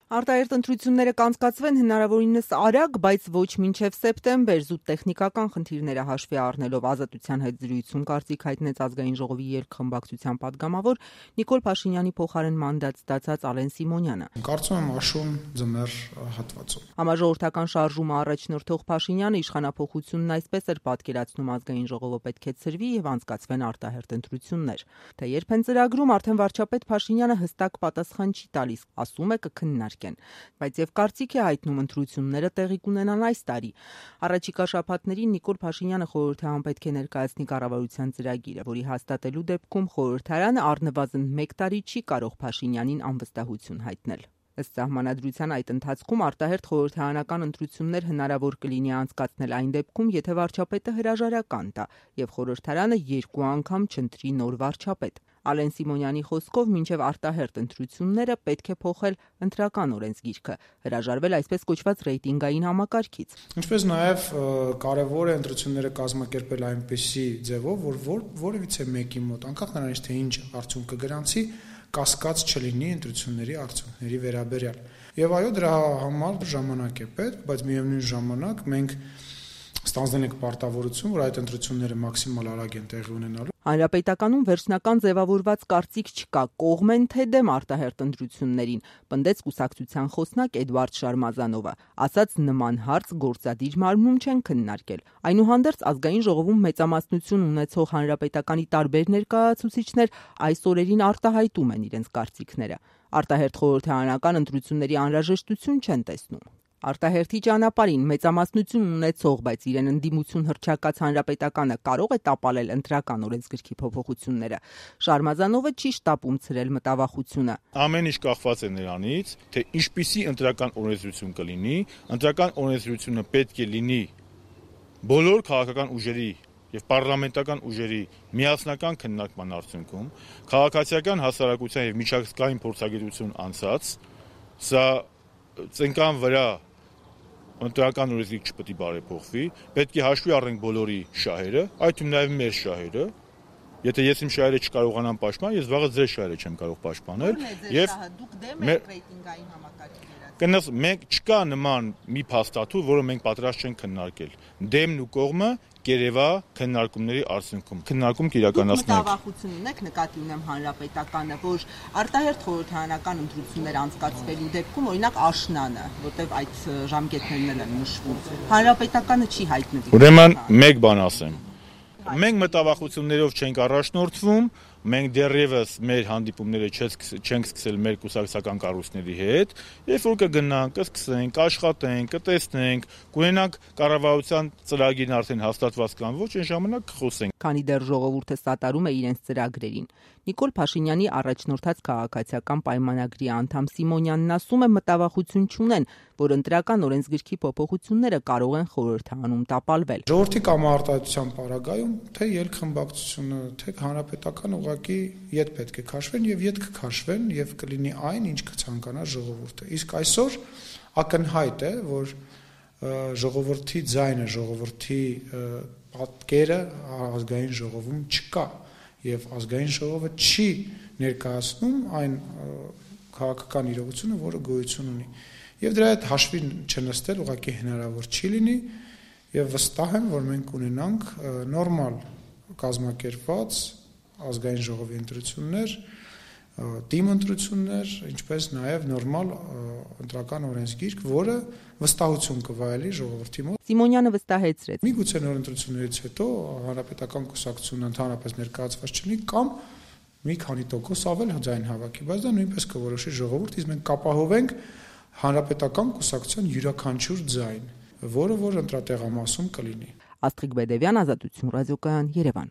Արտահերթ ընտրությունները կանցկացվեն հնարավորինս արագ, բայց ոչ մինչև սեպտեմբեր, զուտ տեխնիկական խնդիրները հաշվի առնելով Ազատության հետ զրույցում կարծիք հայտնեց Ազգային ժողովի երկխմբակցության պատգամավոր Նիկոլ Փաշինյանի փոխարեն մանդատ ստացած Ալեն Սիմոնյանը։ Կարծում եմ աշուն ձմեռ հատվածում։ Համաժողովրդական շարժումը առաջնորդող Փաշինյանը իշխանափոխությունն այսպես էր պատկերացնում Ազգային ժողովը պետք է ցրվի եւ անցկացվեն արտահերթ ընտրություններ։ Թե երբ են ծրագրում, արդեն վարչապետ Փաշինյանը հստակ պատասխան չի տալիս, ասում է կքննարկեն, բայց եւ կարծիք է հայտնում ընտրությունները տեղի կունենան այս տարի։ Առաջիկա շաբաթներին Նիկոլ Փաշինյանը խորհրդարան պետք է ներկայացնի կառավարության ծրագիրը, որի հաստատելու դեպքում խորհրդարանը առնվազն 1 տարի չի կարող Փաշինյանին անվստահություն հայտնել։ Ըստ սահմանադրության այդ ընթացքում արտահերթ խորհրդարանական ընտրություններ հնարավոր կլինի անցկացնել այն դեպքում, եթե վարչապետը հրաժարական տա եւ խորհրդարանը 2 անգամ չընտրի նոր վարչապետ։ Ալեն Սիմոնյանի խոսքով մինչև արտահերթ ընտրությունները պետք է փոխել ընտրական օրենսգիրքը, հրաժարվել այսպես կոչված ռեյտինգային համակարգից։ Ինչպես նաև կարևոր է ընտրությունները կազմակերպել այնպիսի ձևով, որ որևիցե մեկի մոտ, անկախ նրանից թե ինչ արդյունք կգրանցի, կասկած չլինի ընտրությունների արդյունքների վերաբերյալ։ Եվ այո, դրա համար ժամանակ է պետք, բայց միևնույն ժամանակ մենք ստանձնել ենք պարտավորություն, որ այդ ընտրությունները մաքսիմալ արագ են տեղի ունենալու։ Հանրապետականում վերջնական ձևավորված կարծիք չկա, կողմ են թե դեմ արտահերթ ընտրություններին, պնդեց կուսակցության խոսնակ Էդվարդ Շարմազանովը, ասաց նման հարց գործադիր մարմնում չեն քննարկել։ Այնուհանդերձ Ազգային ժողովում մեծամասնություն ունեցող հանրապետականի տարբեր ներկայացուցիչներ այս օրերին արտահայտում են իրենց կարծիքները։ Արտահերթ խորհրդարանական ընտրությունների անհրաժեշտություն չեն տեսնում։ Արտահերթի ճանապարհին մեծամասնություն ունեցող, բայց իրեն ընդդիմություն հռչակած հանրապետականը կարող է տապալել ընտրական օրենսգրքի փոփոխությունները։ Շարմազանովը չի շտապում ցրել մտավախությունը։ Ամեն ինչ կախված է նրանից, թե ինչպիսի ընտրական օրենսդրություն կլինի, ընտրական օրենսդրությունը պետք է լինի բոլոր քաղաքական ուժերի եւ պարլամենտական ուժերի միասնական քննարկման արդյունքում, քաղաքացիական հասարակության եւ միջազգային փորձագիտություն անցած, սա ծնկան վրա ընտրական օրենսգիրք չպետք է բարեփոխվի, պետք է հաշվի առնենք բոլորի շահերը, այդ թվում նաև մեր շահերը։ Եթե ես իմ շահերը չկարողանամ պաշտպանել, ես վաղը ձեր շահերը չեմ կարող պաշտպանել եւ դուք դեմ եք ռեյտինգային համակարգի կնս մենք չկա նման մի փաստաթուղթ, որը մենք պատրաստ չենք քննարկել։ Դեմն ու կողմը կերևա քննարկումների արդյունքում։ Քննարկում կիրականացնենք։ Մտավախություն ունեք, նկատի ունեմ հանրապետականը, որ արտահերթ խորհրդարանական ընտրություններ անցկացվելու դեպքում օրինակ աշնանը, որտեղ այդ ժամկետներն են նշվում, հանրապետականը չի հայտնվի։ Ուրեմն մեկ բան ասեմ։ Մենք մտավախություններով չենք առաջնորդվում, մենք դեռևս մեր հանդիպումները չենք սկսել մեր կուսակցական կառույցների հետ, երբ որ կգնանք, կսկսենք, կաշխատենք, կտեսնենք, կունենանք կառավարության ծրագիրն արդեն հաստատված կամ ոչ, այն ժամանակ կխոսենք։ Քանի դեռ ժողովուրդը սատարում է իրենց ծրագրերին։ Նիկոլ Փաշինյանի առաջնորդած քաղաքացիական պայմանագրի անդամ Սիմոնյանն ասում է մտավախություն չունեն, որ ընտրական օրենսգրքի փոփոխությունները կարող են խորհրդարանում տապալվել։ Ժողովրդի կամարտահայտության պարագայում թե երկխմբակցությունը, թե հանրապետական ուղղակի ետ պետք է քաշվեն եւ ետ կքաշվեն եւ կլինի այն, ինչ կցանկանա ժողովուրդը։ Իսկ այսօր ակնհայտ է, որ ժողովրդի ձայնը, ժողովրդի պատկերը ազգային ժողովում չկա եւ ազգային ժողովը չի ներկայացնում այն քաղաքական իրողությունը, որը գոյություն ունի։ Եվ դրա հետ հաշվի չնստել ուղղակի հնարավոր չի լինի եւ վստահ եմ, որ մենք ունենանք նորմալ կազմակերպված ազգային ժողովի ընտրություններ, թիմ ընտրություններ, ինչպես նաև նորմալ ընտրական օրենսգիրք, որը վստահություն կվայելի ժողովրդի մոտ։ Սիմոնյանը վստահեցրեց. Միգուցե նոր ընտրություններից հետո հանրապետական կուսակցությունը ընդհանրապես ներկայացված չլինի կամ մի քանի տոկոս ավել ձայն հավաքի, բայց դա նույնպես կորոշի ժողովուրդը, իսկ մենք կապահովենք հանրապետական կուսակցության յուրաքանչյուր ձայն, որը որ ընտրատեղամասում կլինի։ Աստղիկ Բեդևյան, Ազատություն ռադիոկայան, Երևան։